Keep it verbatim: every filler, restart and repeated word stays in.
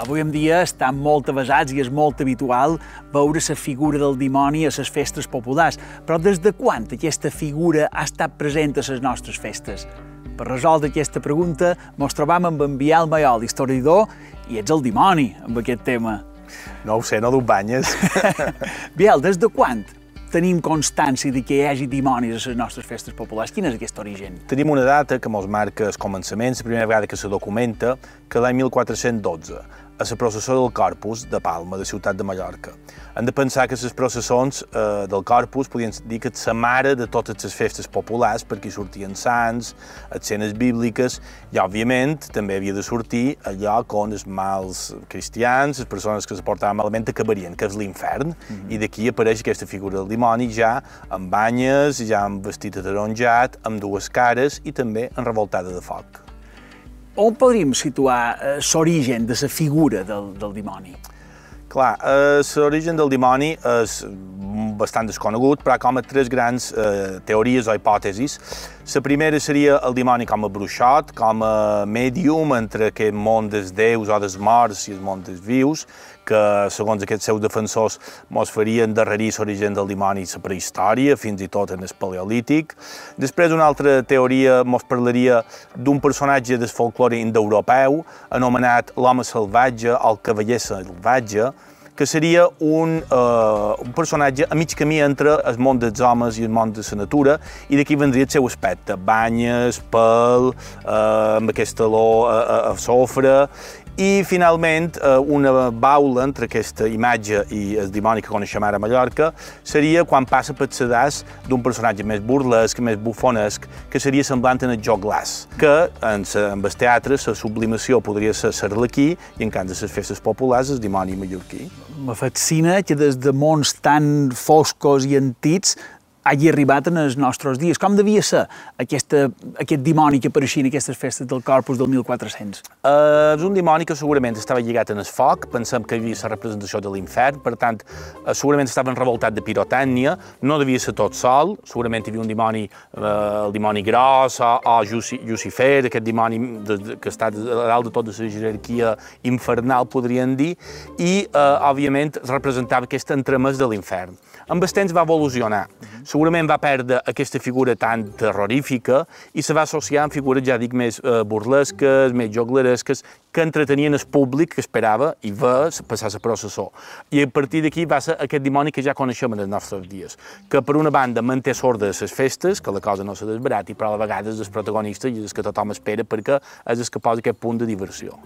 Avui en dia estan molt avasats i és molt habitual veure la figura del dimoni a les festes populars. Però des de quan aquesta figura ha estat present a les nostres festes? Per resoldre aquesta pregunta, ens trobam amb en Biel Mayol, historiador, i ets el dimoni amb aquest tema. No ho sé, no t'ho banyes. Biel, des de quan tenim constància de que hi hagi dimonis a les nostres festes populars? Quin és aquest origen? Tenim una data que mos marca els començaments, la primera vegada que se documenta, que l'any mil quatre-cents dotze, a la processó del Corpus de Palma, de Ciutat de Mallorca. Hem de pensar que les processons eh, del Corpus podien dir que és la mare de totes les festes populars, perquè hi sortien sants, escenes bíbliques, i, òbviament, també havia de sortir allò on els mals cristians, les persones que se portaven malament, acabarien, que és l'infern, mm-hmm. I d'aquí apareix aquesta figura del dimoni ja amb banyes, ja amb vestit ataronjat, amb dues cares i també en revoltada de foc. On podríem situar eh, l'origen de la figura del, del dimoni? Clar, eh, l'origen del dimoni és bastant desconegut, però com a tres grans eh, teories o hipòtesis. La primera seria el dimoni com a bruixot, com a mèdium entre aquest món dels déus o dels morts i el món dels vius, que, segons aquests seus defensors, mos farien darrerir l'origen del dimoni a la prehistòria, fins i tot en el paleolític. Després, una altra teoria mos parlaria d'un personatge del folklore indoeuropeu, anomenat l'home salvatge o el cavaller salvatge, que seria un, uh, un personatge a mig camí entre el món dels homes i el món de la natura, i d'aquí vendria el seu aspecte, banyes, pèl, uh, amb aquesta olor a, a, a sofre, i finalment una baula entre aquesta imatge i el dimoni que coneixem ara a Mallorca seria quan passa pel sedàs d'un personatge més burlesc, més bufonesc, que seria semblant en el Joglàs, que en, en el teatre la sublimació podria ser l'Arlequí i en canvi de les festes populars el dimoni mallorquí. Me fascina que des de mons tan foscos i antics hagi arribat en els nostres dies. Com devia ser aquesta, aquest dimoni que apareixia en aquestes festes del Corpus del mil quatre-cents? Uh, és un dimoni que segurament estava lligat en el foc, pensem que hi havia la representació de l'infern, per tant, uh, segurament estava revoltat de pirotècnia, no devia ser tot sol, segurament hi havia un dimoni, uh, el dimoni gros, o, o Llucifer, aquest dimoni de, de, que està a dalt de tota la jerarquia infernal, podríem dir, i, uh, òbviament, representava aquest entremès de l'infern. Amb el temps va evolucionar. Segurament va perdre aquesta figura tan terrorífica i se va associar amb figures, ja dic, més eh, burlesques, més jogleresques, que entretenien el públic que esperava i va passar la processó. I a partir d'aquí va ser aquest dimoni que ja coneixem en els nostres dies, que per una banda manté sordes les festes, que la cosa no se desbarati, però a la vegada és el protagonista i és el que tothom espera perquè és el que posa aquest punt de diversió.